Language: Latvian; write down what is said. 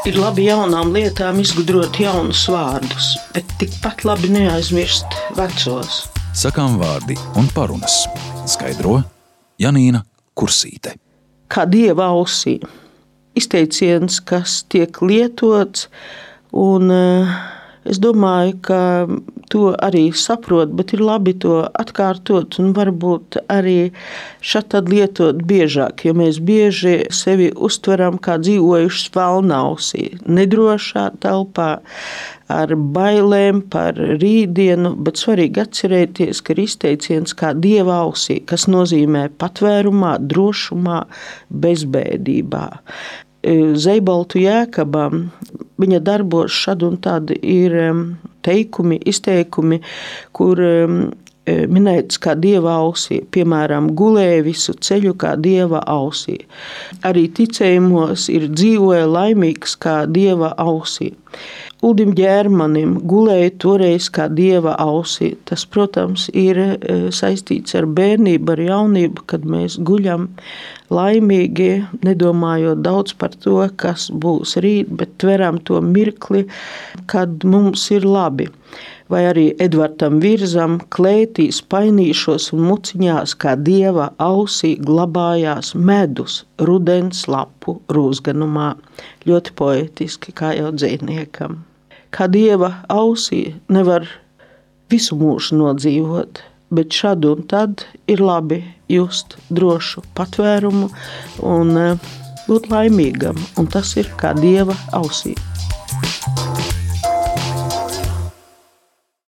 Ir labi jaunām lietām izgudrot jaunus vārdus, bet tikpat labi neaizmirst vecos. Sakām vārdi un parunas. Skaidro Janīna Kursīte. Kā dieva ausī. Izteiciens, kas tiek lietots, un es domāju, ka to arī saprot, bet ir labi to atkārtot un varbūt arī šādi lietot biežāk, jo mēs bieži sevi uztveram kā dzīvojušas velnausī, nedrošā telpā, ar bailēm par rītdienu, bet svarīgi atcerēties, ka ir izteiciens kā dieva ausī, kas nozīmē patvērumā, drošumā, bezbēdībā. Zeibaltu Jēkabam viņa darbos šad un tad ir teikumi, izteikumi, kur minēts kā dieva ausī. Piemēram, gulēja visu ceļu kā dieva ausī. Arī ticējumos ir dzīvoja laimīgs kā dieva ausī. Uldim Ģērmanim gulēja toreiz kā dieva ausī. Tas, protams, ir saistīts ar bērnību, ar jaunību, kad mēs guļam laimīgi, nedomājot daudz par to, kas būs rīt, bet tveram to mirkli, kad mums ir labi. Vai arī Edvardam Virzam klētīs, painīšos un muciņās kā dieva ausī glabājās medus rudens lapu rūzganumā. Ļoti poetiski, kā jau dzejniekam. Kā dieva ausī nevar visu mūžu nodzīvot, bet šad un tad ir labi just drošu patvērumu un būt laimīgam, un tas ir kā dieva ausī.